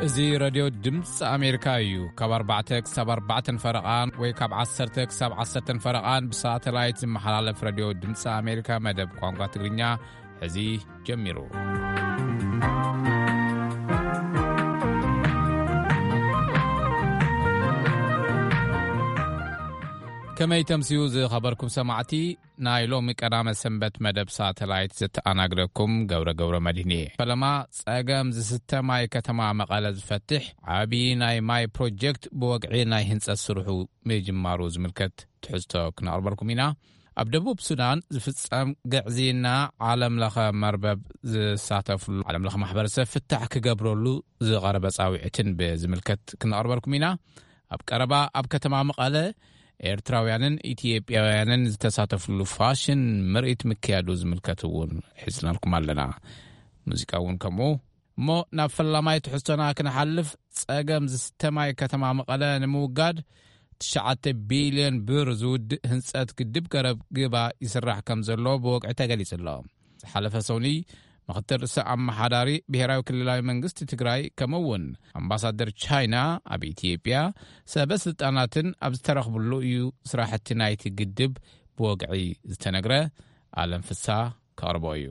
እዚ ረድዮ ድምፂ ኣሜሪካ እዩ። ካብ ኣርባዕተ ክሳብ ኣርባዕተን ፈረቓን ወይ ካብ ዓሰርተ ክሳብ ዓሰርተን ፈረቓን ብሳተላይት ዝመሓላለፍ ረድዮ ድምፂ ኣሜሪካ መደብ ቋንቋ ትግርኛ ሕዚ ጀሚሩ። ከመይ ተምስዩ ዝኸበርኩም ሰማዕቲ? ናይ ሎሚ ቀዳመ ሰንበት መደብ ሳተላይት ዘተኣናግደኩም ገብረ ገብረ መድህን እየ። ፈለማ ጸገም ዝስተ ማይ ከተማ መቐለ ዝፈትሕ ዓቢ ናይ ማይ ፕሮጀክት ብወግዒ ናይ ህንጸት ስርሑ ምጅማሩ ዝምልከት ትሕዝቶ ክነቕርበልኩም ኢና። ኣብ ደቡብ ሱዳን ዝፍጸም ግዕዝይና ዓለም ለኸ መርበብ ዝሳተፍሉ ዓለም ለኸ ማሕበረሰብ ፍታሕ ክገብረሉ ዝቐረበ ጻውዒትን ብዝምልከት ክነቕርበልኩም ኢና። ኣብ ቀረባ ኣብ ከተማ መቐለ ኤርትራውያንን ኢትዮጵያውያንን ዝተሳተፍሉ ፋሽን ምርኢት ምክያዱ ዝምልከት እውን ሒዝናልኩም ኣለና። ሙዚቃ እውን ከምኡ። እሞ ናብ ፈላማይ ትሕዝቶና ክንሓልፍ፣ ጸገም ዝስተ ማይ ከተማ መቐለ ንምውጋድ ትሽዓተ ቢልዮን ብር ዝውድእ ህንጸት ግድብ ገረብ ግባ ይስራሕ ከም ዘሎ ብወግዒ ተገሊጹ ኣሎ። ዝሓለፈ ሰኑይ ምኽትል ርእሰ ኣመሓዳሪ ብሔራዊ ክልላዊ መንግስቲ ትግራይ ከምኡ እውን ኣምባሳደር ቻይና ኣብ ኢትዮጵያ ሰበ ስልጣናትን ኣብ ዝተረኽብሉ እዩ ስራሕቲ ናይቲ ግድብ ብወግዒ ዝተነግረ። ኣለም ፍሳ ከቕርቦ እዩ።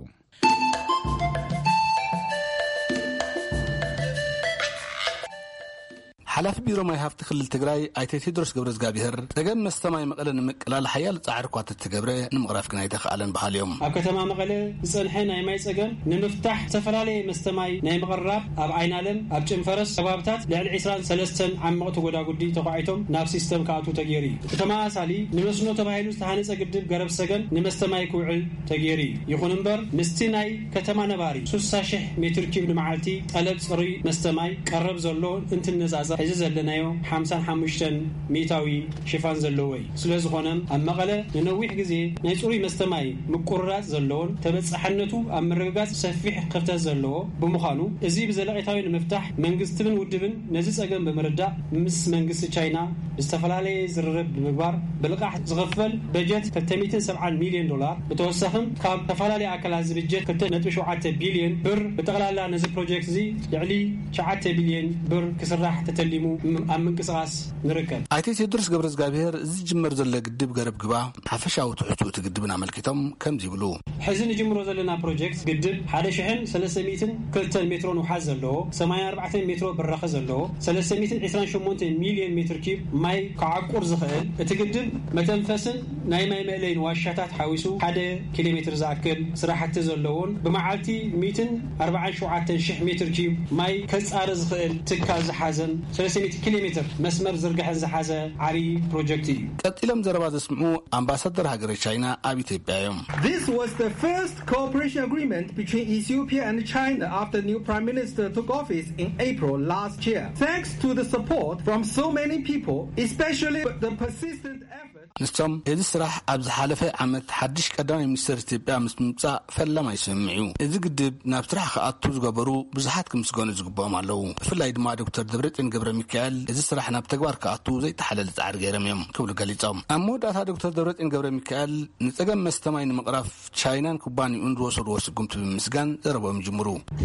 ሓላፊ ቢሮ ማይ ሃፍቲ ክልል ትግራይ ኣይተ ቴድሮስ ገብረዝጋብሔር፣ ጸገም መስተ ማይ መቐለ ንምቅላል ሓያል ጻዕሪ እኳ ተተገብረ፣ ንምቕራፍ ግን ኣይተኻእለን በሃሊ እዮም። ኣብ ከተማ መቐለ ዝጸንሐ ናይ ማይ ጸገም ንምፍታሕ ዝተፈላለየ መስተ ማይ ናይ ምቕራብ ኣብ ዓይናለም፣ ኣብ ጭንፈረስ ከባብታት ልዕሊ ዕስራን ሰለስተን ዓመቕቲ ጎዳጉዲ ተዃዒቶም ናብ ሲስተም ክኣትዉ ተገይሩ እዩ። እቲ ተመሳሳሊ ንመስኖ ተባሂሉ ዝተሃነጸ ግድብ ገረብ ሰገን ንመስተ ማይ ክውዕል ተገይሩ እዩ። ይኹን እምበር ምስቲ ናይ ከተማ ነባሪ ስሳ ሽሕ ሜትር ኪዩብ ንመዓልቲ ጠለብ ጽሩይ መስተ ማይ ቀረብ ዘሎ እንትነጻጸር፣ እዚ ዘለናዮ ሓምሳን ሓሙሽተን ሚእታዊ ሽፋን ዘለዎ እዩ። ስለ ዝኾነ ኣብ መቐለ ንነዊሕ ግዜ ናይ ጽሩይ መስተ ማይ ምቁርራጽ ዘለዎን ተበጻሕነቱ ኣብ ምርግጋጽ ሰፊሕ ክፍተት ዘለዎ ብምዃኑ፣ እዚ ብዘለቄታዊ ንምፍታሕ መንግስትን ውድብን ነዚ ጸገም ብምርዳእ ምስ መንግስቲ ቻይና ብዝተፈላለየ ዝርርብ ብምግባር ብልቓሕ ዝኽፈል በጀት ክልተ ሚእትን ሰብዓን ሚልዮን ዶላር፣ ብተወሳኺ ካብ ዝተፈላለዩ ኣካላት ዝብጀት ክልተ ነጥቢ ሸውዓተ ቢልዮን ብር፣ ብጠቕላላ ነዚ ፕሮጀክት እዚ ልዕሊ ትሽዓተ ቢልዮን ብር ክስራሕ ተተሊሙ ኣብ ምንቅስቓስ ንርከብ። ኣይተ ቴድሮስ ገብረዝጋብሔር፣ እዚ ዝጅመር ዘሎ ግድብ ገረብ ግባ ሓፈሻዊ ትሕዝቶ እቲ ግድብን ኣመልኪቶም ከምዚ ይብሉ። ሕዚ ንጅምሮ ዘለና ፕሮጀክት ግድብ ሓደ ሽሕን ሰለስተ ሚእትን ክልተን ሜትሮ ንውሓት ዘለዎ፣ ሰማንያ ኣርባዕተ ሜትሮ ብራኸ ዘለዎ፣ ሰለስተ ሚእትን ዕስራን ሸሞንተ ሚልዮን ሜትር ኪዩብ ማይ ክዓቁር ዝኽእል፣ እቲ ግድብ መተንፈስን ናይ ማይ መእለይን ዋሻታት ሓዊሱ ሓደ ኪሎ ሜትር ዝኣክል ስራሕቲ ዘለዎን ብመዓልቲ ሚእትን ኣርባዓን ሸውዓተን ሽሕ ሜትር ኪዩብ ማይ ከጻሪ ዝኽእል ትካል ዝሓዘን ሰለስተ ሚእቲ ኪሎ ሜትር መስመር ዝርግሐን ዝሓዘ ዓብዪ ፕሮጀክት እዩ። ቀጺሎም ዘረባ ዘስምዑ ኣምባሳደር ሃገረ ቻይና ኣብ ኢትዮጵያ እዮም። This was the first cooperation agreement between Ethiopia and China after new Prime Minister took office in April last year. Thanks to the support from so many people, especially the persistent effort. ንሶም፣ እዚ ስራሕ ኣብ ዝሓለፈ ዓመት ሓድሽ ቀዳማይ ሚኒስትር ኢትዮጵያ ምስ ምምጻእ ፈላማይ ስምምዕ እዩ። እዚ ግድብ ናብ ስራሕ ክኣቱ ዝገበሩ ብዙሓት ክምስገኑ ዝግብኦም ኣለዉ። ብፍላይ ድማ ዶክተር ደብረጽዮን ገብረ ሚካኤል፣ እዚ ስራሕ ናብ ተግባር ክኣቱ ዘይተሓለለ ጻዕሪ ገይሮም እዮም ክብሉ ገሊጾም። ኣብ መወዳእታ ዶክተር ደብረጽዮን ገብረ ሚካኤል፣ ንጸገም መስተ ማይ ንምቕራፍ ቻይናን ኩባንያኡን ዝወሰድዎ ስጉምቲ ብምምስጋን ዘረቦም ይጅምሩ። እቲ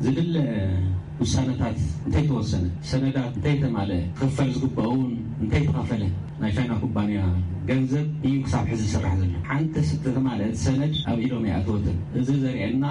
ዝድለ ውሳነታት እንተይተወሰነ፣ ሰነዳት እንተይተማልአ፣ ክኽፈል ዝግባኡን እንተይተኸፈለ፣ ናይ ቻይና ኩባንያ ገንዘብ እዩ ክሳብ ሕዚ ዝስራሕ ዘሎ። ሓንቲ ዝተማልአት ሰነድ ኣብ ኢዶም ኣይኣተወትን። እዚ ዘርእየና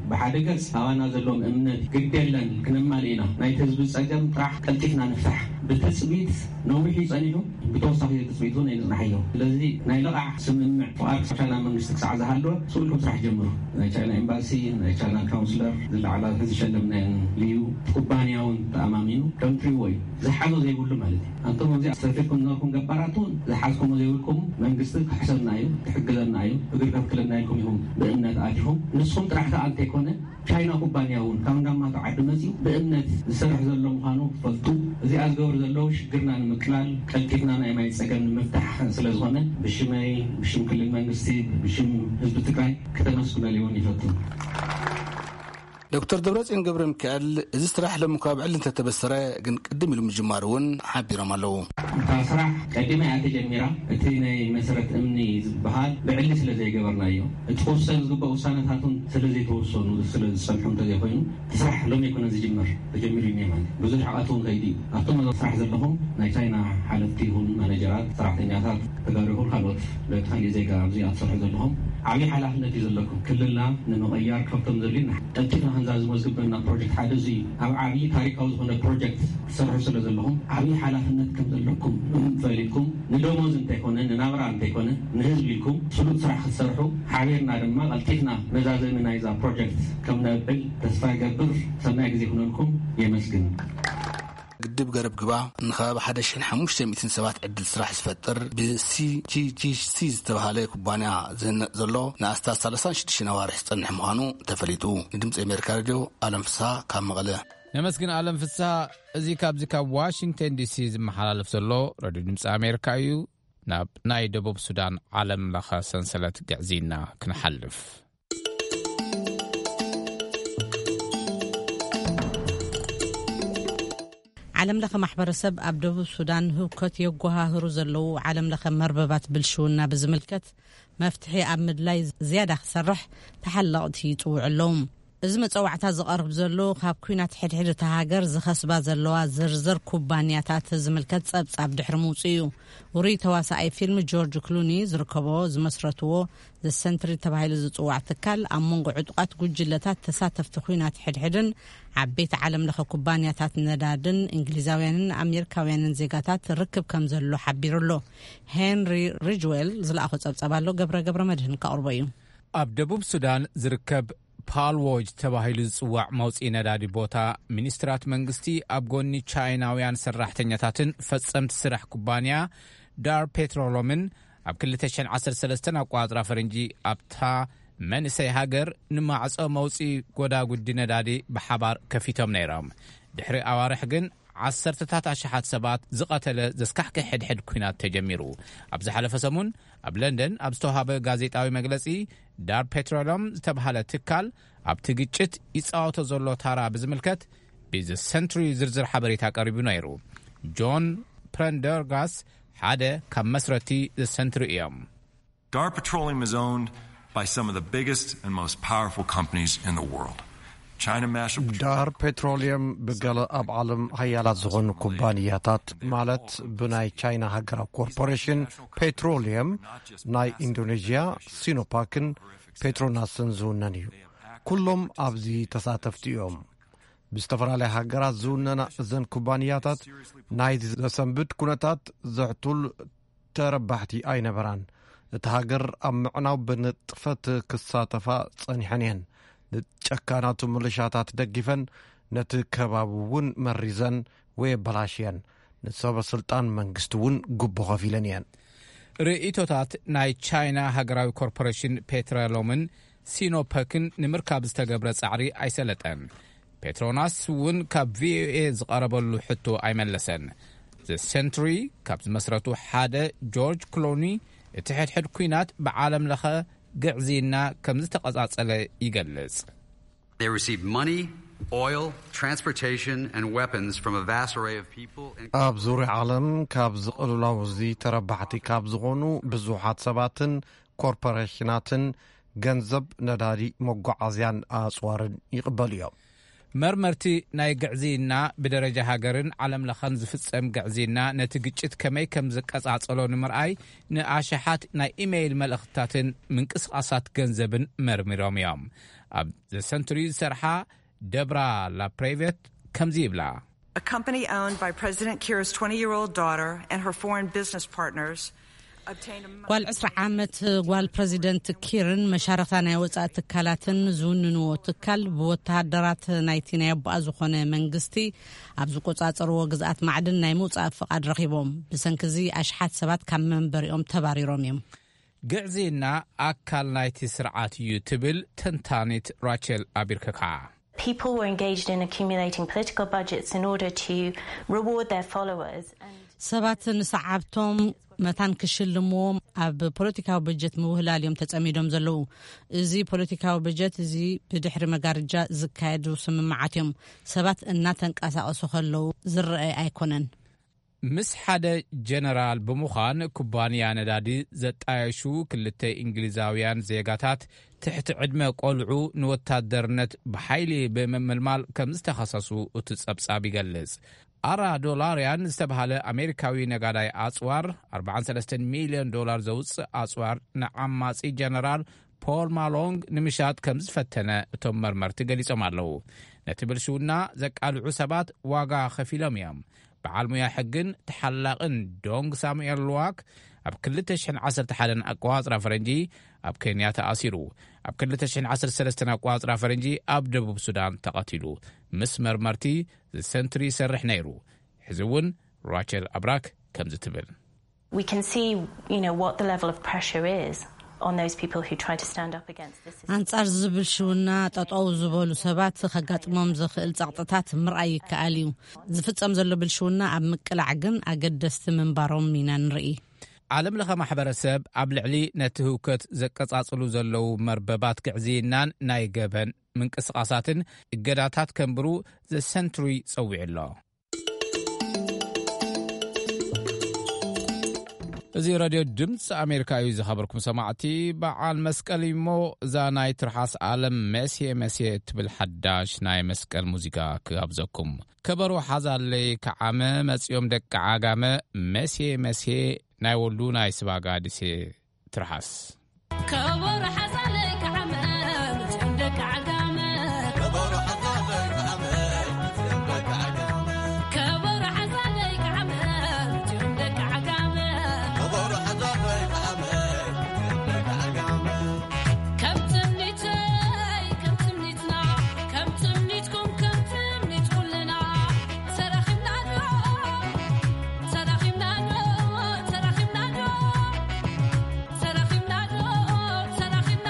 ብሓደ ገጽ ኣባና ዘለዎም እምነት ግድ የለን ክነማልእ ኢና፣ ናይቲ ህዝቢ ጸገም ጥራሕ ቀልጢፍና ንፍታሕ። ብትጽቢት ነዊሕ እዩ ጸኒሑ። ብተወሳኺ ትጽቢት እውን ኣይንጽናሕዮ። ስለዚ ናይ ልቓሕ ስምምዕ ፍቓድ ክሳብ ቻይና መንግስቲ ክሳዕ ዝሃለወ ስቕ ኢልኩም ስራሕ ጀምሩ። ናይ ቻይና ኤምባሲ፣ ናይ ቻይና ካውንስለር፣ ዝለዓላ ዝሸለምናየን ልዩ ኩባንያ እውን ተኣማሚኑ ከምትሪእዎ እዩ። ዝሓዞ ዘይብሉ ማለት እዩ። ኣንቶም ኣብዚ ኣስተርፊርኩም ዝነበርኩም ገባራት እውን ዝሓዝኩሞ ዘይብልኩም መንግስቲ ክሕሰብና እዩ፣ ክሕግዘና እዩ፣ እግሪ ከትክለና ኢልኩም ኢኹም ብእምነት ኣቲኹም። ንስኹም ጥራሕ ከኣ እንተይኮነ ቻይና ኩባንያ እውን ካብ እንዳማቶ ዓዲ መፂኡ ብእምነት ዝሰርሕ ዘሎ ምዃኑ ክፈልጡ፣ እዚኣ ዝገብሩ ዘለዉ ሽግርና ንምቅላል፣ ቀልጢፍና ናይ ማይ ፀገም ንምፍታሕ ስለ ዝኾነ ብሽመይ፣ ብሽም ክልል መንግስቲ፣ ብሽም ህዝቢ ትግራይ ክተመስግነሉ እውን ይፈቱ። ዶክተር ደብረጽዮን ገብረ ሚካኤል፣ እዚ ስራሕ ሎሚ እኳ ብዕሊ እንተተበሰረ፣ ግን ቅድም ኢሉ ምጅማሩ እውን ሓቢሮም ኣለዉ። እታ ስራሕ ቀዲማ እያ ተጀሚራ። እቲ ናይ መሰረት እምኒ ዝበሃል ብዕሊ ስለ ዘይገበርናዮ፣ እቲ ክውሰን ዝግባእ ውሳነታት እውን ስለ ዘይተወሰኑ፣ ስለ ዝጸንሑ እንተዘይኮይኑ፣ እቲ ስራሕ ሎሚ ኣይኮነን ዝጅመር፣ ተጀሚሩ እዩ ማለት እዩ። ብዙሕ ርሕቀት እውን ከይዱ እዩ። ኣብቶም ስራሕ ዘለኹም ናይ ቻይና ሓለፍቲ ይኹን ማኔጀራት፣ ሰራሕተኛታት፣ ተጋሩ ይኹን ካልኦት፣ በቲ ካሊእ ዜጋ ኣብዚ ኣትሰርሑ ዘለኹም ዓብዪ ሓላፍነት እዩ ዘለኩም። ክልልና ንምቕያር ካብቶም ዘድልዩና ቀልጢፍና ክንዛዝሞ ዝግበና ፕሮጀክት ሓደ እዚ እዩ። ኣብ ዓብዪ ታሪካዊ ዝኾነ ፕሮጀክት ትሰርሑ ስለ ዘለኹም ዓብዪ ሓላፍነት ከም ዘለኩም ፈሊጥኩም ንደሞዝ እንተይኮነ፣ ንናብራ እንተይኮነ፣ ንህዝቢ ኢልኩም ስሉጥ ስራሕ ክትሰርሑ ሓቢርና ድማ ቀልጢፍና መዛዘሚ ናይዛ ፕሮጀክት ከም ነብዕል ተስፋ ይገብር። ሰናይ ግዜ ይኹነልኩም። የመስግን። ግድብ ገረብ ግባ ንከባቢ ሓደ ሽሕን ሓሙሽተ ሚእትን ሰባት ዕድል ስራሕ ዝፈጥር ብሲጂጂሲ ዝተባህለ ኩባንያ ዝህነፅ ዘሎ ንኣስታት ሰላሳን ሽዱሽተን ኣዋርሕ ዝፀንሕ ምዃኑ ተፈሊጡ። ንድምፂ ኣሜሪካ ሬድዮ ኣለም ፍስሃ ካብ መቐለ። ነመስግን ኣለም ፍስሃ። እዚ ካብዚ ካብ ዋሽንግተን ዲሲ ዝመሓላለፍ ዘሎ ሬድዮ ድምፂ ኣሜሪካ እዩ። ናብ ናይ ደቡብ ሱዳን ዓለም ለኸ ሰንሰለት ግዕዝይና ክንሓልፍ። ዓለም ለኸ ማሕበረሰብ ኣብ ደቡብ ሱዳን ህውከት የጓሃህሩ ዘለዉ ዓለም ለኸ መርበባት ብልሽውና ብዝምልከት መፍትሒ ኣብ ምድላይ ዝያዳ ክሰርሕ ተሓለቕቲ ይጽውዑ ኣለዉ። እዚ መጸዋዕታ ዝቐርብ ዘሎ ካብ ኲናት ሕድሕድ እታ ሃገር ዝኸስባ ዘለዋ ዝርዝር ኩባንያታት ዝምልከት ጸብጻብ ድሕሪ ምውጽኡ እዩ። ውሩይ ተዋሳኣይ ፊልም ጆርጅ ክሉኒ ዝርከቦ ዝመስረትዎ ዘ ሰንትሪ ተባሂሉ ዝጽዋዕ ትካል ኣብ መንጎ ዕጡቓት ጉጅለታት ተሳተፍቲ ኲናት ሕድሕድን ዓበይቲ ዓለም ለኸ ኩባንያታት ነዳድን እንግሊዛውያንን ኣሜሪካውያንን ዜጋታት ርክብ ከም ዘሎ ሓቢሩ ኣሎ። ሄንሪ ሪጅዌል ዝለኣኾ ጸብጻብ ኣሎ። ገብረ ገብረ መድህን ከቕርቦ እዩ። ኣብ ደቡብ ሱዳን ዝርከብ ፓልዎጅ ተባሂሉ ዝጽዋዕ መውጽኢ ነዳዲ ቦታ፣ ሚኒስትራት መንግስቲ ኣብ ጎኒ ቻይናውያን ሰራሕተኛታትን ፈጸምቲ ስራሕ ኩባንያ ዳር ፔትሮሎምን ኣብ ክልተ ሽሕን ዓሰርተ ሰለስተን ኣቋጽራ ፈረንጂ ኣብታ መንእሰይ ሃገር ንማዕጾ መውጽኢ ጎዳጉዲ ነዳዲ ብሓባር ከፊቶም ነይሮም። ድሕሪ ኣዋርሕ ግን ዓሰርተታት ኣሽሓት ሰባት ዝቐተለ ዘስካሕክሕ ሕድሕድ ኲናት ተጀሚሩ። ኣብ ዝሓለፈ ሰሙን ኣብ ለንደን ኣብ ዝተዋሃበ ጋዜጣዊ መግለጺ፣ ዳር ፔትሮሎም ዝተባህለ ትካል ኣብቲ ግጭት ይጻወቶ ዘሎ ታራ ብዝምልከት ብዘ ሰንትሪ ዝርዝር ሓበሬታ ቀሪቡ ነይሩ። ጆን ፕረንደርጋስ ሓደ ካብ መስረቲ ዘ ሰንትሪ እዮም። Dar Petroleum is owned by some of the biggest and most powerful companies in the world. China Master ዳር ፔትሮሊየም ብገለ ኣብ ዓለም ሃያላት ዝኾኑ ኩባንያታት፣ ማለት ብናይ ቻይና ሃገራዊ ኮርፖሬሽን ፔትሮሊየም፣ ናይ ኢንዶኔዥያ ሲኖፓክን ፔትሮናስን ዝውነን እዩ። ኩሎም ኣብዚ ተሳተፍቲ እዮም። ብዝተፈላለያ ሃገራት ዝውነና እዘን ኩባንያታት ናይ ዘሰንብድ ኩነታት ዘሕቱል ተረባሕቲ ኣይነበራን። እታ ሃገር ኣብ ምዕናው ብንጥፈት ክሳተፋ ጸኒሐን እየን። ንጨካናቱ ምልሻታት ደጊፈን፣ ነቲ ከባቢ እውን መሪዘን ወይ ኣበላሽየን። ንሰበ ስልጣን መንግስቲ እውን ጉቦ ከፊለን እየን። ርእይቶታት ናይ ቻይና ሃገራዊ ኮርፖሬሽን ፔትሮሎምን ሲኖፐክን ንምርካብ ዝተገብረ ጻዕሪ ኣይሰለጠን። ፔትሮናስ እውን ካብ ቪኦኤ ዝቐረበሉ ሕቶ ኣይመለሰን። ዘ ሰንትሪ ካብ ዝመስረቱ ሓደ ጆርጅ ክሎኒ፣ እቲ ሕድሕድ ኲናት ብዓለም ለኸ ግዕዝይና ከም ዝተቐጻጸለ ይገልጽ። They received money, oil, transportation, and weapons from a vast array of people, ኣብ ዙርያ ዓለም ካብ ዝቕልውላው እዚ ተረባሕቲ ካብ ዝኾኑ ብዙሓት ሰባትን ኮርፖሬሽናትን ገንዘብ፣ ነዳዲ፣ መጓዓዝያን ኣጽዋርን ይቕበሉ እዮም። መርመርቲ ናይ ግዕዝይና ብደረጃ ሃገርን ዓለም ለኸን ዝፍጸም ግዕዝይና ነቲ ግጭት ከመይ ከም ዝቀጻጸሎ ንምርኣይ ንኣሽሓት ናይ ኢሜይል መልእኽትታትን ምንቅስቓሳት ገንዘብን መርሚሮም እዮም። ኣብ ዘ ሰንቱሪ ዝሰርሓ ደብራ ላፕሬቬት ከምዚ ይብላ። A company owned by President Kiir's twenty-year-old daughter and her foreign business partners obtained a ጓል ዕስራ ዓመት ጓል ፕረዚደንት ኪርን መሻርኽታ ናይ ወጻኢ ትካላትን ዝውንንዎ ትካል ብወተሃደራት ናይቲ ናይ ኣቦኣ ዝኾነ መንግስቲ ኣብ ዝቆጻጸርዎ ግዝኣት ማዕድን ናይ ምውጻእ ፍቓድ ረኺቦም። ብሰንኪ እዚ ኣሽሓት ሰባት ካብ መንበሪኦም ተባሪሮም እዮም። ግዕዝይና ኣካል ናይቲ ስርዓት እዩ ትብል ተንታኒት ራቸል ኣቢርከካ። People were engaged in accumulating political budgets in order to reward their followers. And ሰባት ንሰዓብቶም መታን ክሽልምዎም ኣብ ፖለቲካዊ በጀት ምውህላል እዮም ተጸሚዶም ዘለዉ። እዚ ፖለቲካዊ በጀት እዚ ብድሕሪ መጋርጃ ዝካየዱ ስምምዓት እዮም። ሰባት እናተንቀሳቐሱ ከለዉ ዝረኣይ ኣይኮነን። ምስ ሓደ ጀነራል ብምዃን ኩባንያ ነዳዲ ዘጣየሹ ክልተ እንግሊዛውያን ዜጋታት ትሕቲ ዕድመ ቆልዑ ንወታደርነት ብሓይሊ ብምምልማል ከም ዝተኸሰሱ እቲ ጸብጻብ ይገልጽ። ኣራ ዶላርያን ዝተባህለ ኣሜሪካዊ ነጋዳይ ኣጽዋር ኣርባዓን ሰለስተን ሚልዮን ዶላር ዘውጽእ ኣጽዋር ንዓማጺ ጀነራል ፖል ማሎንግ ንምሻጥ ከም ዝፈተነ እቶም መርመርቲ ገሊጾም ኣለዉ። ነቲ ብልሽውና ዘቃልዑ ሰባት ዋጋ ከፊሎም እዮም። በዓል ሙያ ሕግን ተሓላቕን ዶንግ ሳሙኤል ሉዋክ ኣብ ክልተ ሽሕን ዓሰርተ ሓደን ኣቋጽራ ፈረንጂ ኣብ ኬንያ ተኣሲሩ። ኣብ ክልተ ሽሕን ዓሰርተ ሰለስተን ኣቋጽራ ፈረንጂ ኣብ ደቡብ ሱዳን ተቐቲሉ። ምስ መርመርቲ ዘሰንትሪ ይሰርሕ ነይሩ። ሕዚ እውን ራቸል ኣብራክ ከምዚ ትብል። We can see, you know, what the level of pressure is on those people who try to stand up against this system. ኣንጻር ዝብል ሽውና ጠጠው ዝበሉ ሰባት ከጋጥሞም ዝኽእል ጸቕጥታት ምርኣይ ይከኣል እዩ። ዝፍጸም ዘሎ ብልሽውና ኣብ ምቅላዕ ግን ኣገደስቲ ምንባሮም ኢና ንርኢ። ዓለም ለኸ ማሕበረሰብ ኣብ ልዕሊ ነቲ ህውከት ዘቀጻጽሉ ዘለዉ መርበባት ግዕዝይናን ናይ ገበን ምንቅስቓሳትን እገዳታት ከንብሩ ዘሰንትሩይ ጸዊዑ ኣሎ። እዚ ሬድዮ ድምፂ ኣሜሪካ እዩ። ዝኸበርኩም ሰማዕቲ፣ በዓል መስቀል እሞ እዛ ናይ ትርሓስ ኣለም መሴ መሴ እትብል ሓዳሽ ናይ መስቀል ሙዚቃ ክጋብዘኩም። ከበሮ ሓዛለይ ከዓመ መፂኦም ደቂ ዓጋመ፣ መሴ መሴ ናይ ወሉ ናይ ስባጋ ድሴ ትርሓስ። ከበሮ ሓዛለይ ከዓመ መፂኦም ደቂ ዓጋመ። ከበሮ ሓዛለይ ከዓመ መፂኦም ደቂ ዓጋመ። ከበሮ ሓዛለይ ከዓመ መፂኦም ደቂ ዓጋመ። ከም ትምኒተይ ከም ትምኒትና፣ ከም ትምኒትኩም ከም ትምኒት ኩልና፣ ተራኺብና ዶ፣ ተራኺብና ዶ፣ ተራኺብና ዶ፣ ተራኺብና ዶ፣ ተራኺብና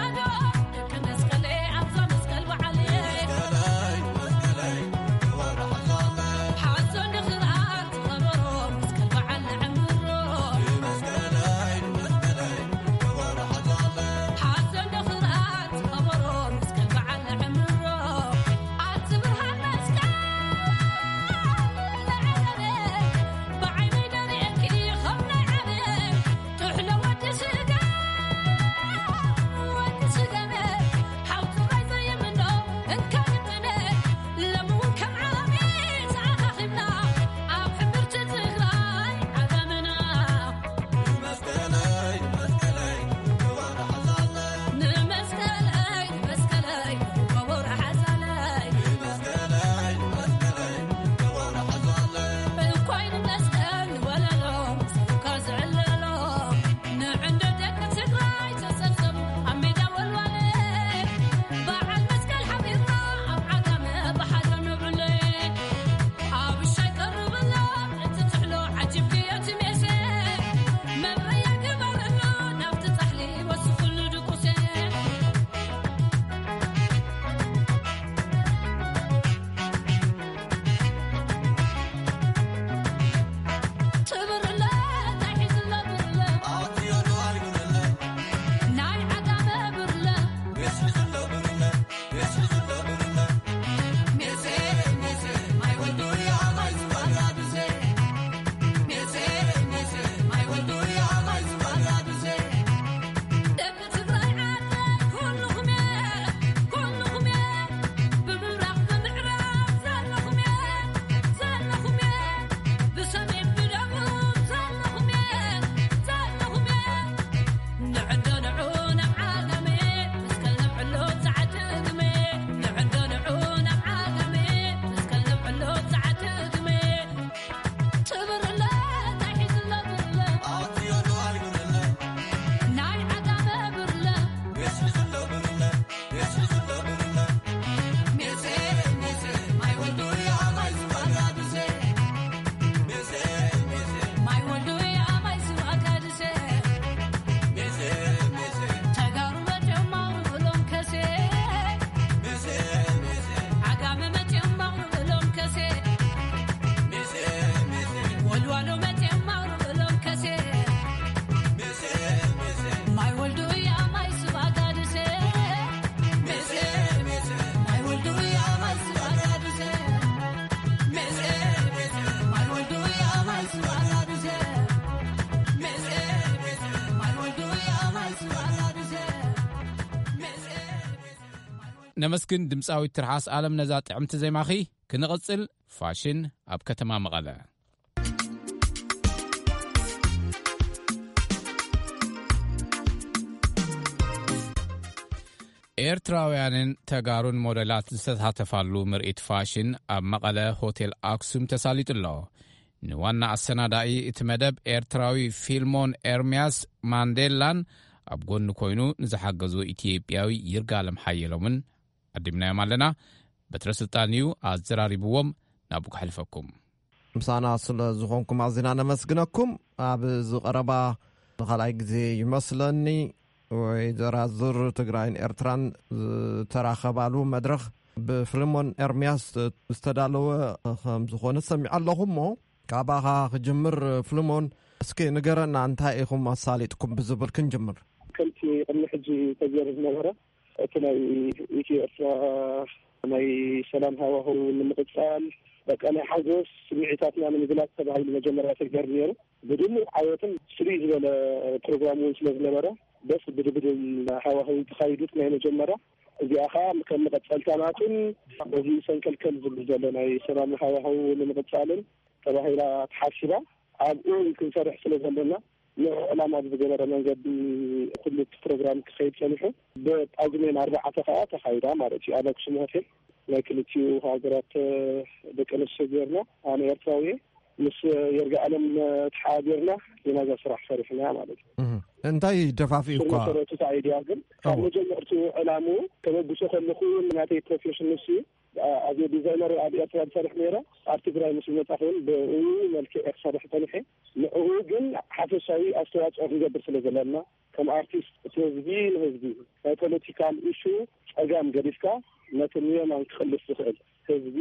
ነመስግን ድምጻዊት ትርሓስ ኣለም ነዛ ጥዕምቲ ዜማኺ። ክንቕጽል ፋሽን ኣብ ከተማ መቐለ። ኤርትራውያንን ተጋሩን ሞዴላት ዝተሳተፋሉ ምርኢት ፋሽን ኣብ መቐለ ሆቴል ኣክሱም ተሳሊጡ ኣሎ። ንዋና ኣሰናዳኢ እቲ መደብ ኤርትራዊ ፊልሞን ኤርምያስ ማንዴላን ኣብ ጎኒ ኮይኑ ንዝሓገዙ ኢትዮጵያዊ ይርጋለም ሓየሎምን ኣዲምናዮም ኣለና። በትረ ስልጣን እዩ ኣዘራሪብዎም። ናብኡ ከሕልፈኩም። ምሳና ስለ ዝኾንኩም ኣዚና ነመስግነኩም። ኣብ እዚ ቀረባ ንኻልኣይ ግዜ ይመስለኒ ወይ ዘራዝር ትግራይን ኤርትራን ዝተራኸባሉ መድረኽ ብፍልሞን ኤርምያስ ዝተዳለወ ከም ዝኾነ ሰሚዐ ኣለኹ። እሞ ካባኻ ክጅምር ፍልሞን፣ እስኪ ንገረና እንታይ ኢኹም ኣሳሊጥኩም ብዝብል ክንጅምር። ከምቲ ቅድሚ ሕጂ ተገይሩ ዝነበረ እቲ ናይ ኢትዮ ኤርትራ ናይ ሰላም ሃዋህው ንምቕጻል፣ በቃ ናይ ሓጎስ ስምዒታትና ንምግላጽ ተባሂሉ መጀመርያ ተገይሩ ነይሩ። ብድሙቕ ዓወትን ፍልይ ዝበለ ፕሮግራም እውን ስለ ዝነበረ፣ ደስ ብድብድል ሃዋህው ተኻይዱት ናይ መጀመርያ። እዚኣ ኸዓ ከም መቐጸልታ ናቱን በዚ ሰንከልከል ዝብል ዘሎ ናይ ሰላም ሃዋህው ንምቕጻልን ተባሂላ ተሓሲባ። ኣብኡ ክንሰርሕ ስለ ዘለና ንዕላማ ብዝገበረ መንገዲ ኩሉ እቲ ፕሮግራም ክኸይድ ጸኒሑ። ብጳጉሜን ኣርባዕተ ኸዓ ተኻይዳ ማለት እዩ። ኣብ ኣክሱም ሆቴል ናይ ክልቲኡ ሃገራት ደቂ ኣንስትዮ ጌርና፣ ኣነ ኤርትራዊ እየ፣ ምስ የርጋኣለም ተሓባቢርና ኢና እዛ ስራሕ ሰሪሕና ማለት እዩ። እህ። እንታይ ደፋፊኡ ስር እኳ መሰረቱ እቲ ኣይድያ ግን ካብ እዎ። መጀመርትኡ ዕላምኡ ከበግሶ ከለኹ እውን ናተይ ፕሮፌሽን ንሱ እዩ። ኣዝየ ዲዛይነር ኣብ ኤርትራ ዝሰርሕ ነይረ። ኣብ ትግራይ ምስ መጻኹ እውን ብኡ መልክዕ እየ ክሰርሕ ጸኒሐ። ንዕኡ ግን ሓፈሻዊ ኣስተዋጽኦ ክንገብር ስለ ዘለና ከም ኣርቲስት እቲ ህዝቢ ንህዝቢ ናይ ፖለቲካል ኢሹ ጸጋም ገዲፍካ ነቲ ንየማን ክቕልስ ዝኽእል ህዝቢ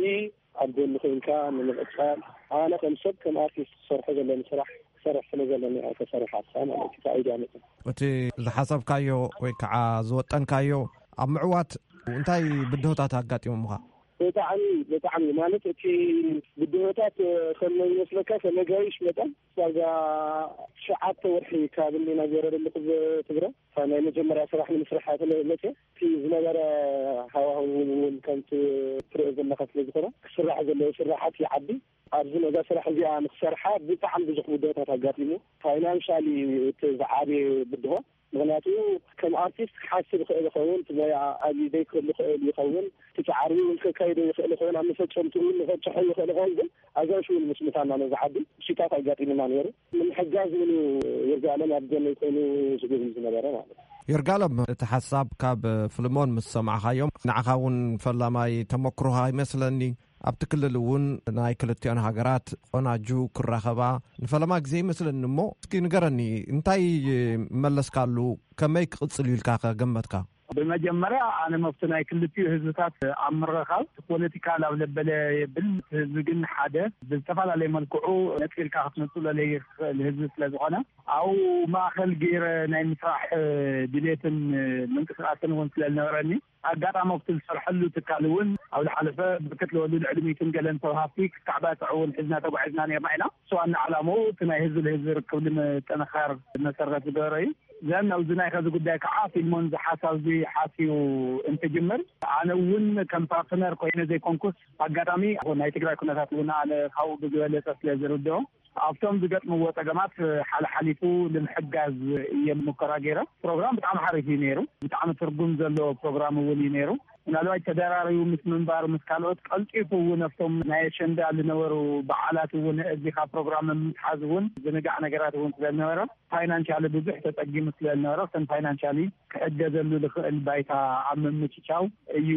ኣብ ጎኒ ኮይንካ ንምቕጻል ኣነ ከም ሰብ ከም ኣርቲስት ክሰርሖ ዘለኒ ስራሕ ክሰርሕ ስለ ዘለኒ እያ ተሰሪሓ ማለት እዩ። እቲ ኣይድያ መጽእ። እቲ ዝሓሰብካዮ ወይ ከዓ ዝወጠንካዮ ኣብ ምዕዋት እንታይ ብድሆታት ኣጋጢሞምኻ? ብጣዕሚ፣ ብጣዕሚ ማለት እቲ ብድሆታት ከም ይመስለካ ከም ነጋይሽ መጠን ዳርጋ ትሽዓተ ወርሒ ካብ እኒና ገይረ ዘለኹ ኣብ ትግራይ። እታ ናይ መጀመርያ ስራሕ ንምስራሕ እያ ተመ-፣ መፅየ። እቲ ዝነበረ ሃዋህው እውን ከምቲ ትሪኦ ዘለኻ ስለ ዝኾነ ክስራሕ ዘለዎ ስራሓት ይዓቢ። ኣብዚ ነዛ ስራሕ እዚኣ ንክሰርሓ ብጣዕሚ ብዙሕ ብድሆታት ኣጋጢሙ። ፋይናንሻሊ እቲ ዝዓበየ ብድሆ ምኽንያቱ ከም ኣርቲስት ክሓስብ ይኽእል ይኸውን፣ እቲ ሞያ ኣብዩ ዘይክህሉ ይኽእል ይኸውን፣ እቲ ጻዕሪ እውን ከካይዶ ይኽእል ይኸውን፣ ኣብ መፈጸምትኡ እውን ንኸብጽሖ ይኽእል ይኸውን፣ ግን ኣጋይሽ እውን ምስ ምታና ነዚ ዓዲ ብሽታት ኣጋጢሙና ነይሩ። ንምሕጋዝ እውን እዩ ይርጋለም ኣብ ጎነይ ኮይኑ ዝጉብኝ ዝነበረ ማለት እዩ። ይርጋለም፣ እቲ ሓሳብ ካብ ፍልሞን ምስ ሰማዕኻዮም፣ ንዓኻ እውን ፈላማይ ተመክሮኻ ይመስለኒ። ኣብቲ ክልል እውን ናይ ክልቲኦን ሃገራት ቆናጁ ክራኸባ ንፈለማ ግዜ ይመስለኒ። እሞ እስኪ ንገረኒ፣ እንታይ መለስካሉ? ከመይ ክቕጽል እዩ ኢልካ ከ ገመትካ? ብመጀመርያ ኣነ መፍቱ ናይ ክልቲኡ ህዝብታት ኣብ ምርኻብ ፖለቲካ ላብ ለበለ የብል። ህዝቢ ግን ሓደ ብዝተፈላለየ መልክዑ ነጺልካ ክትነጽሎ ለይኽእል ህዝቢ ስለ ዝኾነ፣ ኣብኡ ማእኸል ገይረ ናይ ምስራሕ ድሌትን ምንቅስቃስን እውን ስለ ዝነበረኒ፣ ኣጋጣሚ ኣብቲ ዝሰርሐሉ ትካል እውን ኣብ ዝሓለፈ ብርክት ዝበሉ ልዕሊ ሚእትን ገለን ሰብ ሃፍቲ ክተዓባጥዑ እውን ሒዝና ተጓዒዝና ነርና ኢና። እሱ ዋና ዓላምኡ እቲ ናይ ህዝቢ ንህዝቢ ርክብ ንምጥንኻር መሰረት ዝገበረ እዩ። ዘን ኣብዚ ናይ ከዚ ጉዳይ ከዓ ፊልሞን እዚ ሓሳብ እዚ ሓስዩ እንትጅምር፣ ኣነ እውን ከም ፓርትነር ኮይነ ዘይኮንኩስ፣ ኣጋጣሚ ናይ ትግራይ ኩነታት እውን ኣነ ካብኡ ብዝበለፀ ስለ ዝርድኦ፣ ኣብቶም ዝገጥምዎ ጸገማት ሓለሓሊፉ ንምሕጋዝ እየ ሙከራ ገይረ። ፕሮግራም ብጣዕሚ ሓሪፍ እዩ ነይሩ። ብጣዕሚ ትርጉም ዘለዎ ፕሮግራም እውን እዩ ነይሩ። ምናልባት ተደራሪቡ ምስ ምንባሩ ምስ ካልኦት ቀልጢፉ እውን ኣብቶም ናይ ኣሸንዳ ዝነበሩ በዓላት እውን እዚኻ ፕሮግራም ምትሓዝ እውን ዝንጋዕ ነገራት እውን ስለ ዝነበረ ፋይናንሻሊ ብዙሕ ተጸጊሙ ስለ ዝነበረ፣ እተን ፋይናንሻሊ ክሕገዘሉ ዝኽእል ባይታ ኣብ ምምችቻው እዩ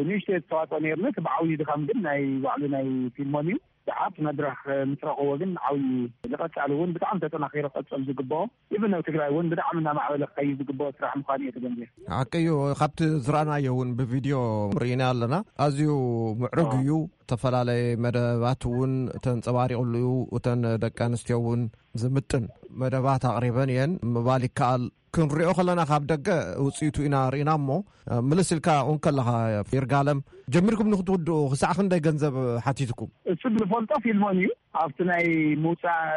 ንእሽተይ ዝተዋጽኦ ነይርና። እቲ ብዓብዩ ድኻም ግን ናይ ባዕሉ ናይ ፊልሞን እዩ። ሰዓት መድረኽ ምስ ረኸቦ ግን ዓብዪ ዝቐጻሊ እውን ብጣዕሚ ተጠናኺሩ ክቐጽል ዝግብኦ፣ ኢቭን ኣብ ትግራይ እውን ብጣዕሚ እናማዕበለ ክኸይድ ዝግብኦ ስራሕ ምዃኑ እየ ተገንዚበ። ሓቂ እዩ። ካብቲ ዝረኣናዮ እውን ብቪድዮ ርኢና ኣለና። ኣዝዩ ምዕሩግ እዩ። ዝተፈላለየ መደባት እውን ተንጸባሪቑሉ እዩ። እተን ደቂ ኣንስትዮ እውን ዝምጥን መደባት ኣቕሪበን እየን ምባል ይከኣል። ክንሪኦ ከለና ካብ ደገ ውፅኢቱ ኢና ርኢና እሞ፣ ምልስ ኢልካ እውን ከለኻ ይርጋለም፣ ጀሚርኩም ንክትውድኡ ክሳዕ ክንደይ ገንዘብ ሓቲትኩም? እሱ ዝፈልጦ ፊልሞን እዩ። ኣብቲ ናይ ምውፃእ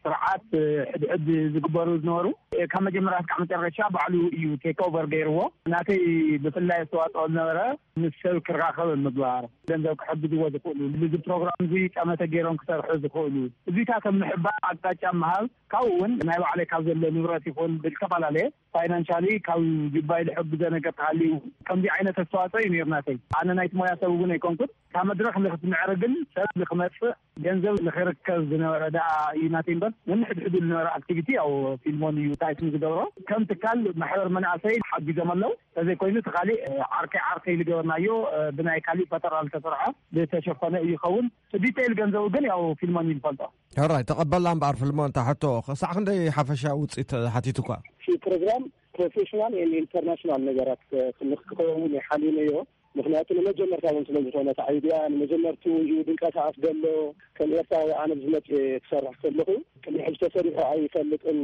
ስርዓት ሕድሕድ ዝግበሩ ዝነበሩ ካብ መጀመርያ እስካዕ መጨረሻ ባዕሉ እዩ ቴክ ኦቨር ገይርዎ። ናተይ ብፍላይ ኣስተዋፅኦ ዝነበረ ምስ ሰብ ክራኸብ ምግባር፣ ገንዘብ ክሕግዝዎ ዝኽእሉ፣ እዚ ፕሮግራም እዚ ጠመተ ገይሮም ክሰርሑ ዝኽእሉ እዚታት ኣብ ምሕባር ኣቅጣጫ ምሃብ፣ ካብኡ እውን ናይ ባዕለይ ካብ ዘሎ ንብረት ይኹን ብዝተፈላለየ ፋይናንሻሊ ካብ ጅባይ ዝሕግዞ ነገር ተሃልዩ ከምዚ ዓይነት ኣስተዋፅኦ እዩ ነይሩ ናተይ። ኣነ ናይቲ ሞያ ሰብ እውን ኣይኮንኩን። ካብ መድረኽ ንክትምዕርግን ሰብ ንክመፅእ ገንዘብ ንክርከብ ዝነበረ ደኣ እዩ ናተይ እምበር፣ ነንሕድሕዱ ዝነበረ ኣክቲቪቲ ያው ፊልሞን እዩ ታይትን ዝገብሮ። ከም ትካል ማሕበር መናእሰይ ሓጊዞም ኣለዉ። ተዘይኮይኑ እቲ ካሊእ ዓርከይ ዓርከይ ዝገበርናዮ ብናይ ካሊእ ፈጠራ ዝተሰርሐ ዝተሸፈነ እዩ ይኸውን። ዲቴይል ገንዘቡ ግን ያው ፊልሞን እዩ ዝፈልጦ። ሕራይ ተቐበላ እምበኣር ፍልሞ እንታ ሕቶ ክሳዕ ክንደይ ሓፈሻ ውፅኢት ሓቲቱካ? እቲ ፕሮግራም ፕሮፌሽናል ኤንድ ኢንተርናሽናል ነገራት ክ- ክኸውን ይሓልዩነዮ። ምክንያቱ ንመጀመርታ እውን ስለ ዝኾነ እቲ ኣይድያ ንመጀመርቱ እዩ ድንቀሳቐስ ዘሎ። ከም ኤርትራዊ ኣነ ብዝመፅ ክሰርሕ ከለኹ ቅድሚ ሕጂ ተሰሪሑ ኣይፈልጥን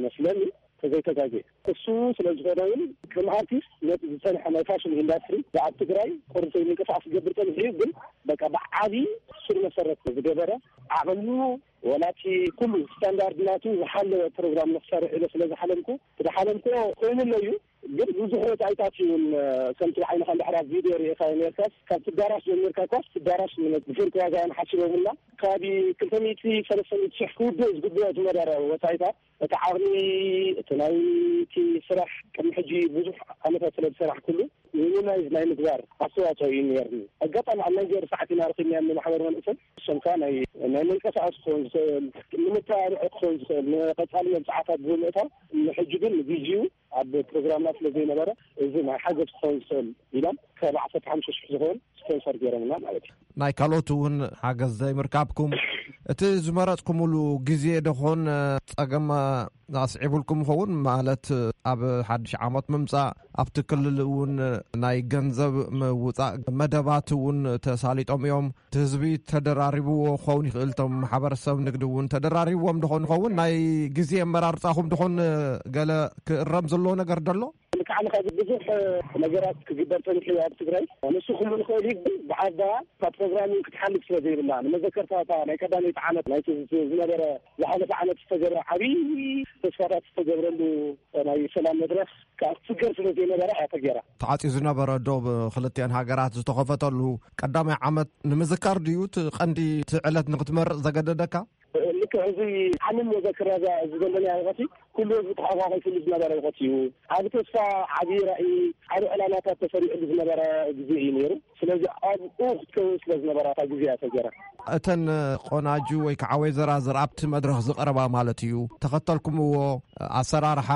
መስለኒ ተዘይተጋጌ። እሱ ስለ ዝኾነ እውን ከም ኣርቲስት ነቲ ዝፀንሐ ናይ ፋሽን ኢንዳስትሪ ኣብ ትግራይ ቁርንቶ ምንቅስቃስ ክገብር ፀኒሑ እዩ። ግን በቃ ብዓቢ ስር መሰረት ዝገበረ ዓቕሙ ወላቲ ኩሉ ስታንዳርድ ናቱ ዝሓለወ ፕሮግራም ንክሰርሕ ኢለ ስለ ዝሓለምኩ እቲ ዝሓለምኩ ኮይኑሎ እዩ። ግን ብዙሕ ወፃኢታት እዩ እውን ከምቲ ዓይንካ እንድሕር ኣብ ቪድዮ ርኢኻዮ ነርካስ ካብ ትዳራሽ ጀሚርካ ኳስ ትዳራሽ ብፍርቂ ዋጋ እዮም ሓሲቦምና። ካብ ክልተ ሚእቲ ሰለስተ ሚእቲ ሽሕ ክውድእ ዝግብኦ ዝነበረ ወፃኢታት እቲ ዓቕሚ እቲ ናይቲ ስራሕ ቅድሚ ሕጂ ብዙሕ ዓመታት ስለ ዝሰራሕኩሉ ሚኒማይዝ ናይ ምግባር ኣስተዋፅኦ እዩ ነርኒ። ኣጋጣሚ ኣብ ናይ ገር ሰዓት ኢና ረኪብናዮ ማሕበር መንእሰይ እሶም ከዓ ናይ ናይ መንቀሳቀሲ ክኸውን ዝኽእል ንምተባብዒ ክኸውን ዝኽእል ንቀፃሊ መብፅዓታት ብምእታው ንሕጂ ግን ንግዜኡ ኣብ ፕሮግራምና ስለ ዘይነበረ እዚ ናይ ሓገዝ ክኸውን ዝኽእል ኢሎም ካብ ዓሰርተ ሓሙሽተ ሽሕ ዝኸውን ስፖንሰር ገይሮምና ማለት እዩ። ናይ ካልኦት እውን ሓገዝ ዘይምርካብኩም እቲ ዝመረፅኩምሉ ግዜ ደኾን ፀገም ኣስዒቡልኩም ይኸውን? ማለት ኣብ ሓድሽ ዓመት ምምፃእ ኣብቲ ክልል እውን ናይ ገንዘብ ምውፃእ መደባት እውን ተሳሊጦም እዮም። እቲ ህዝቢ ተደራሪብዎ ክኸውን ይኽእል፣ እቶም ማሕበረሰብ ንግዲ እውን ተደራሪብዎም ደኾን ይኸውን? ናይ ግዜ ኣመራርፃኹም ደኾን ገለ ክእረም ዘለዎ ነገር ደሎ? ልክዕ ንኻ ብዙሕ ነገራት ክግበር ፀኒሑ ኣብ ትግራይ ንሱ ክሉ ንኽእል እዩ። ግን ብዓባ እታ ፕሮግራም ክትሓልፍ ስለ ዘይብላ ንመዘከርታ እታ ናይ ቀዳመይቲ ዓመት ናይቲ ዝነበረ ዝሓለፈ ዓመት ዝተገብረ ዓብዪ ተስፋታት ዝተገብረሉ ናይ ሰላም መድረኽ ከዓ ክትስገር ስለ ዘይነበረ እያ ተገይራ። ተዓፅዩ ዝነበረ ዶብ ክልቲኣን ሃገራት ዝተኸፈተሉ ቀዳማይ ዓመት ንምዝካር ድዩ እቲ ቀንዲ እቲ ዕለት ንክትመርፅ ዘገደደካ? ልክዕ እዚ ዓለም መዘክር እያ እዚ ዘለና ወቐቲ ኩሉ ህዝቢ ተሓቋቒፍሉ ዝነበረ ወቐቲ እዩ። ዓቢ ተስፋ፣ ዓቢ ራእይ፣ ዓቢ ዕላማታት ተሰሪዕሉ ዝነበረ ግዜ እዩ ነይሩ። ስለዚ ኣብኡ ክትከውን ስለ ዝነበራ እታ ግዜ እያ ተገይራ። እተን ቆናጁ ወይ ከዓ ወይዘራዝር ኣብቲ መድረኽ ዝቐረባ ማለት እዩ ተኸተልኩምዎ ኣሰራርሓ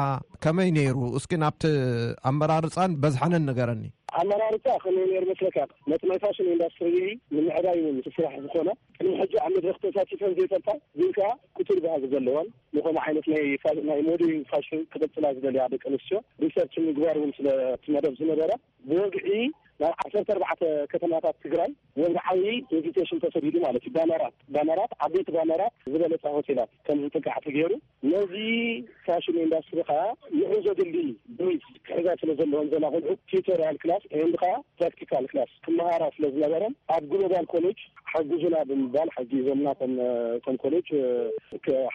ከመይ ነይሩ? እስኪ ናብቲ ኣመራርፃን በዝሓንን ንገረኒ። ኣመራርፃ ከመይ ነይሩ መስለካ? ነቲ ናይ ፋሽን ኢንዳስትሪ ንምዕባይ እውን ስራሕ ዝኾነ ቅድሚ ሕጂ ኣብ መድረኽ ተሳቲፈን ዘይፈልጣ ግን ከዓ ክቱር ባህጊ ዘለወን ንኸምኡ ዓይነት ናይ ፋ- ናይ ሞዴሊንግ ፋሽን ክቕፅላ ዝደልያ ደቂ ኣንስትዮ ሪሰርች ምግባር እውን ስለ እቲ መደብ ዝነበረ ብወግዒ ናብ ዓሰርተ ኣርባዕተ ከተማታት ትግራይ ወግዓዊ ኢንቪቴሽን ተሰዲዱ ማለት እዩ። ባነራት ባነራት ዓበይቲ ባነራት ዝበለፃ ሆቴላት ከም ዝጥቃዕ ተገይሩ ነዚ ፋሽን ኢንዳስትሪ ከዓ ንዑ ዘድሊ ብሪጅ ክሕዛ ስለ ዘለዎም ዘላ ቆልዑ ቲዩቶሪያል ክላስ ኤንድ ከዓ ፕራክቲካል ክላስ ክመሃራ ስለ ዝነበረን ኣብ ግሎባል ኮሌጅ ሓግዙና ብምባል ሓጊዞምና። ከም ከም ኮሌጅ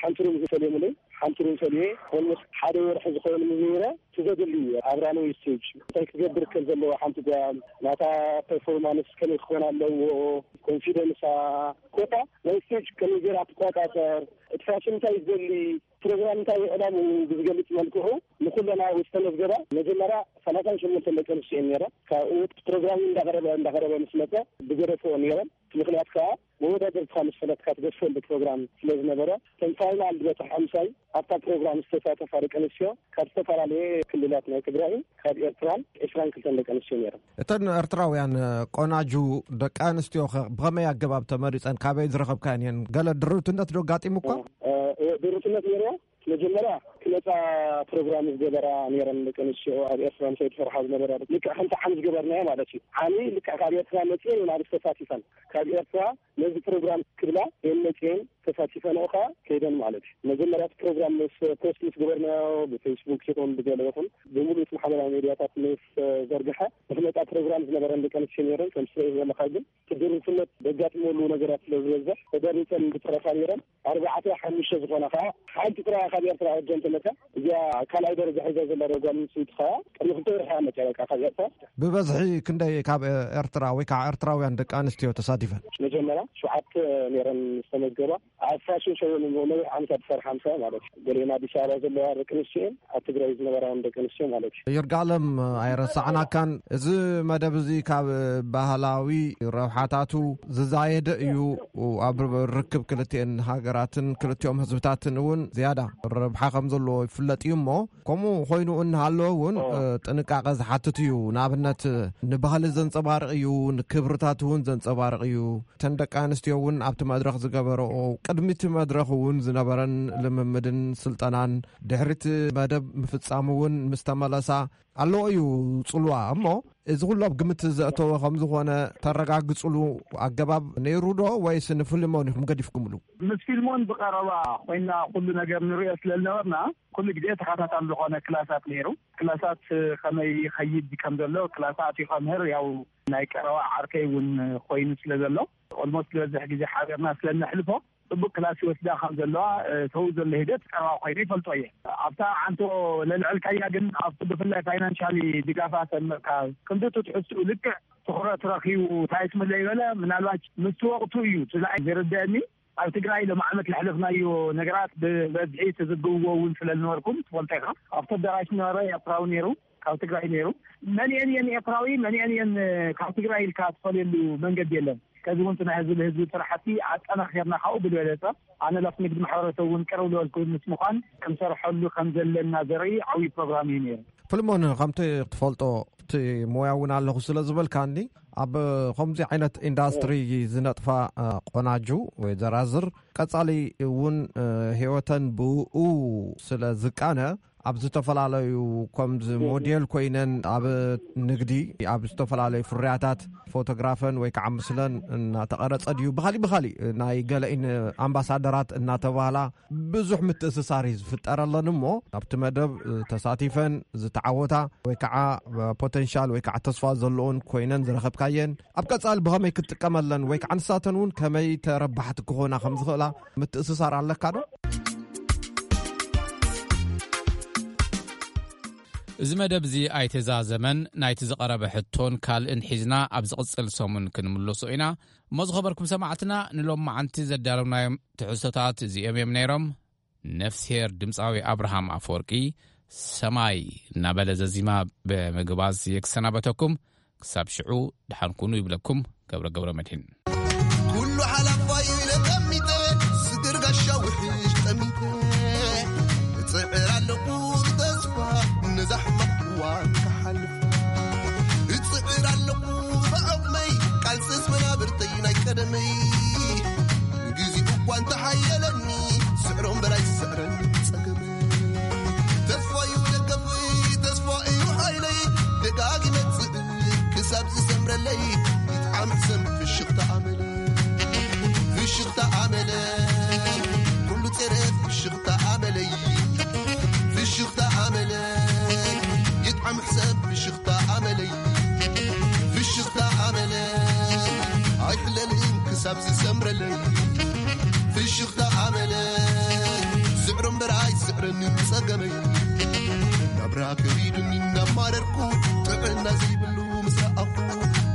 ሓንቲ ሩም ዝፈልዮም ሓንቲ ሩም ፈልየ ኦልሞስት ሓደ ወርሒ ዝኸውን ምዝረ ትዘድሊ ኣብራነዊ ስቴጅ እንታይ ክገብር ከም ዘለዎ ሓንቲ ጓል ናታ ፐርፎርማንስ ከመይ ክኾን ኣለዎ ኮንፊደንሳ ኮታ ናይ ስቴጅ ከመይ ገይራ ትቆጣጠር እቲ ፋሽን እንታይ ዝደሊ ፕሮግራም እንታይ ዕላምኡ ብዝገልፅ መልክዑ ንኩለና ዝተመዝገባ መጀመርያ ሰላሳን ሸሞንተን ደቂ ኣንስትዮ እየን ነይረን። ካብኡ ፕሮግራም እንዳቀረበ እንዳቀረበ ምስ መፀ ብገደፍኦ ነይረን። እቲ ምክንያት ከዓ መወዳደርትካ ምስ ፈለጥካ ትገድፈሉ ፕሮግራም ስለ ዝነበረ እተን ፋይናል ዝበፅሓ ምሳይ ኣብታ ፕሮግራም ዝተሳተፋ ደቂ ኣንስትዮ ካብ ዝተፈላለየ ክልላት ናይ ትግራይን ካብ ኤርትራን ዕስራን ክልተን ደቂ ኣንስትዮ ነይረን። እተን ኤርትራውያን ቆናጁ ደቂ ኣንስትዮኸ ብኸመይ ኣገባብ ተመሪጸን? ካበይ ዝረኸብካየን እየን? ገለ ድርብትነት ዶ ኣጋጢሙካ? ድርብትነት ነይርዎ። መጀመርያ ክመፃ ፕሮግራም ዝገበራ ነይረን ደቂ ኣንስትዮ ኣብ ኤርትራ ምሳይ ዝሰርሓ ዝነበራ ልክዕ ከምቲ ዓሚ ዝገበርናዮ ማለት እዩ። ዓሚ ልክዕ ካብ ኤርትራ መፅኤን እየን ኣብ ዝተሳቲፈን ካብ ኤርትራ ነዚ ፕሮግራም ክብላ እየን መፅኤን ተሳቲፈንኦ ከዓ ከይደን ማለት እዩ። መጀመርያ እቲ ፕሮግራም ምስ ፖስት ምስ ገበርናዮ ብፌስቡክ ይኹን ብገለ ይኹን ብምሉእ እቲ ማሕበራዊ ሜድያታት ምስ ዘርግሐ፣ ንክመፃ ፕሮግራም ዝነበረን ደቂ ኣንስትዮ ነይረን። ከም ትሪኦ ዘለካ ግን እቲ ድርብነት ዘጋጥመሉ ነገራት ስለ ዝበዝሕ ተደሪፀን ዝተረፋ ነይረን። ኣርባዕተ ሓሙሽተ ዝኾና ከዓ ሓንቲ ጥራይ ካብ ኤርትራ ወጀን ተመታ። እዚኣ ካልኣይ ደረጃ ሒዛ ዘላ ጓል ኣንስተይቲ ከዓ ቅድሚ ክልተ ወርሒ እያ መፅያ በቃ ካብ ኤርትራ። ብበዝሒ ክንደይ ካብ ኤርትራ ወይ ከዓ ኤርትራውያን ደቂ ኣንስትዮ ተሳቲፈን? መጀመርያ ሸውዓተ ነይረን ዝተመዝገባ። ኣብ ፋሽን ሾው ነዊሕ ዓመታት ዝሰርሓ ምሳ ማለት እዩ። ገሊአን ኣዲስ ኣበባ ዘለዋ ደቂ ኣንስትዮ እየን፣ ኣብ ትግራይ ዝነበራ እውን ደቂ ኣንስትዮ ማለት እዩ። ይርጋለም፣ ኣይረሳዕናካን። እዚ መደብ እዚ ካብ ባህላዊ ረብሓታቱ ዝዛየደ እዩ። ኣብ ርክብ ክልቲኤን ሃገራትን ክልቲኦም ህዝብታትን እውን ዝያዳ ረብሓ ከም ዘለዎ ይፍለጥ እዩ። እሞ ከምኡ ኮይኑ እናሃለወ እውን ኦ። እ፣ ጥንቃቐ ዝሓትት እዩ። ንኣብነት ንባህሊ ዘንጸባርቕ እዩ፣ ንክብርታት እውን ዘንጸባርቕ እዩ። እተን ደቂ ኣንስትዮ እውን ኣብቲ መድረኽ ዝገበረኦ፣ ቅድሚ እቲ መድረኽ እውን ዝነበረን ልምምድን ስልጠናን ድሕሪ እቲ መደብ ምፍጻሙ እውን ምስ ተመለሳ ኣለዎ እዩ ጽልዋ። እሞ እዚ ኩሉ ኣብ ግምት ዘእተወ ከም ዝኾነ ተረጋግጽሉ ኣገባብ ነይሩ ዶ፣ ወይስ ንፊልሞን ኢኹም ገዲፍኩምሉ? ምስ ፊልሞን ብቐረባ ኮይና ኩሉ ነገር ንሪኦ ስለ ዝነበርና፣ ኩሉ ግዜ ተኸታታሊ ዝኾነ ክላሳት ነይሩ። ክላሳት ከመይ ይኸይድ ከም ዘሎ ክላስ ኣትዩ ከምህር፣ ያው ናይ ቀረባ ዓርከይ እውን ኮይኑ ስለ ዘሎ፣ ኦልሞስት ዝበዝሕ ግዜ ሓቢርና ስለ እነሕልፎ፣ ጽቡቅ ክላስ ይወስዳ ከም ዘለዋ፣ እ፣ ተው ዘሎ ሂደት ቀረባ ኮይኑ ይፈልጦ እየ። ኣብታ ዓንቶ ለልዕልካያ ግን፣ ኣብቲ ብፍላይ ፋይናንሻሊ ድጋፋ ሰምዕካ፣ ክንዲ እቲ ትሕዝትኡ ልክዕ ትኹረት ረኺቡ፣ እንታይ ትምለ ይበለ፣ ምናልባት ምስቲ ወቕቱ እዩ፣ እቲ ዝረድአኒ። ኣብ ትግራይ ሎም ዓመት ለሕለፍናዮ ነገራት ብበዝሒ ትዝግብዎ እውን ስለ ዝነበርኩም ትፈልጦ ኢኻ። ኣብቲ ኣዳራሽ ዝነበረ ኤርትራዊ ነይሩ፣ ካብ ትግራይ ነይሩ። መንየን እየን ኤርትራዊ፣ መንየን እየን ካብ ትግራይ ኢልካ ትፈልየሉ መንገዲ የለን። ከዚ እውን እቲ ናይ ህዝቢ ብህዝቢ ስራሕቲ ኣጠናኺርና ካብኡ ብዝበለፀ ኣነ ላፍ ንግዲ ማሕበረሰብ እውን ቅርብ ዝበልኩ ምስ ምዃን ክንሰርሐሉ ከም ዘለና ዘርኢ ዓብዪ ፕሮግራም እዩ ነይሩ። ፍልሞን፣ ከምቲ ትፈልጦ እቲ ሞያ እውን ኣለኹ ስለ ዝበልካኒ፣ ኣብ ከምዚ ዓይነት ኢንዳስትሪ ዝነጥፋ፣ እ፣ ቆናጁ ወይ ዘራዝር ቀጻሊ እውን፣ እ፣ ህይወተን ብኡ ስለ ዝቃነ፣ ኣብ ዝተፈላለዩ ከምዚ ሞዴል ኮይነን ኣብ ንግዲ፣ ኣብ ዝተፈላለዩ ፍርያታት ፎቶግራፈን ወይ ከዓ ምስለን እናተቐረጸ ድዩ፣ ብኻሊእ ብኻሊእ ናይ ገለኢን ኣምባሳደራት እናተባህላ ብዙሕ ምትእስሳር እዩ ዝፍጠረለን። እሞ ኣብቲ መደብ ተሳቲፈን ዝተዓወታ ወይ ከዓ ፖተንሻል ወይ ከዓ ተስፋ ዘለዎን ኮይነን ዝረኸብካየን፣ ኣብ ቀጻሊ ብኸመይ ክትጥቀመለን ወይ ከዓ ንሳተን እውን ከመይ ተረባሕቲ ክኾና ከም ዝኽእላ ምትእስሳር ኣለካ ዶ? እዚ መደብ እዚ ኣይተዛዘመን። ናይቲ ዝቐረበ ሕቶን ካልእን ሒዝና ኣብ ዝቕጽል ሰሙን ክንምለሶ ኢና። እሞ ዝኸበርኩም ሰማዕትና፣ ንሎማዓንቲ ዘዳለውናዮም ትሕዝቶታት እዚኦም እዮም ነይሮም። ነፍስሄር ድምፃዊ ኣብርሃም ኣፈወርቂ ሰማይ እናበለ ዘዚማ ብምግባዝ የክሰናበተኩም። ክሳብ ሽዑ ደሓን ኩኑ ይብለኩም ገብረ ገብረ መድህን። ኩሉ ሓላፋይ ኢለ ጠሚተ፣ ስግር ጋሻ ውሕሽ ጠሚተ፣ እጽዕር ኣለኹ ብተስፋ ነዛ ሕማቕ እዋን ክሓልፋ። እጽዕር ኣለኹ ብዓቕመይ፣ ቃልስስ መናብርተይ ናይ ቀደመይ። ግዜኡ እኳ እንተሓየለኒ፣ ስዕሮ እምበር ኣይስዕረኒ ጸገመይ። ተስፋ እዩ ደገፈይ፣ ተስፋ እዩ ሓይለይ፣ ደጋጊመ እጽዕር ክሳብ ዝሰምረለይ። ይጥዓም ሕሰም ፍሽኽታ ኣመለይ፣ ፍሽኽታ ኣመለይ፣ ኩሉ ጸረ ፍሽኽታ ኣመለይ፣ ፍሽኽታ ኣመለይ፣ ይጥዓም ሕሰም ፍሽኽታ ኣመለይ፣ ፍሽኽታ ኣመለይ፣ ኣይሕለልን ክሳብ ዝሰምረለይ። ፍሽኽታ ኣመለይ፣ ስዕሮ እምበር ኣይስዕረንን ጸገመይ። ናብራ ከቢዱኒ እናማረርኩ፣ ጥዕና ዘይብሉ ምስ ረኣኹ፣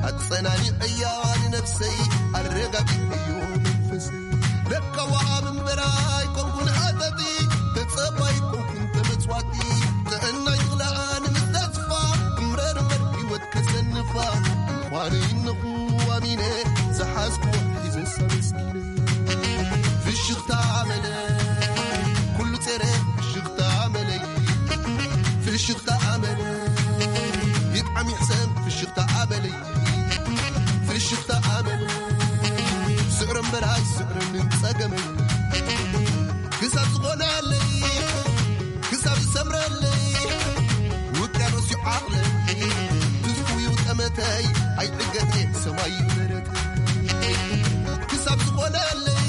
ኣጸናኒዐያ ንነፍሰይ፣ ኣረጋጊዐዮ መንፈሰይ። ለካ ወሃብ እምበር ኣይኮንኩን ሃጠጢ፣ ተጸባይ ኣይኮንኩን ተመጽዋቲ። ጥዕና ይኽልኣኒ ምስ ተስፋ፣ እምረር እምበር ህይወት ከሰንፋ። ምዃነይ እነኹ ኣሚነ፣ ዝሓዝኩዎ ሒዘ ኣመስጊነ። ፍሽኽታ ኣመለይ፣ ኩሉ ጸረ ፍሽኽታ ኣመለይ፣ ፍሽኽታ ኣመለይ፣ ይጥዓም ይሕሰም ፍሽኽታ ኣመለይ፣ ፍሽኽታ ኣመለይ፣ ስዕሮ እምበር ኣይስዕረንን ጸገመይ። ክሳብ ዝኾነለይ፣ ክሳብ ዝሰምረለይ፣ ውቅያኖስ እዩ ዓቕለይ፣ ትዝትኡ እዩ ጠመተይ፣ ኣይዕገት እየ ሰማይ እዩ ደረተይ። ክሳብ ዝኾነለይ፣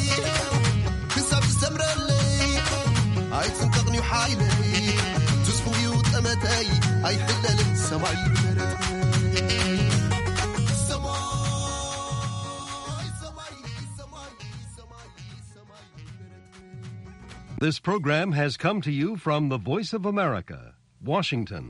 ሓይለይ ትስፉው እዩ ጠመተይ ኣይሕለልን ሰማይ መረትነይ ሰማይ ሰማይ ሰማይ ሰማይ ሰማይ This program has come to you from the Voice of America, Washington.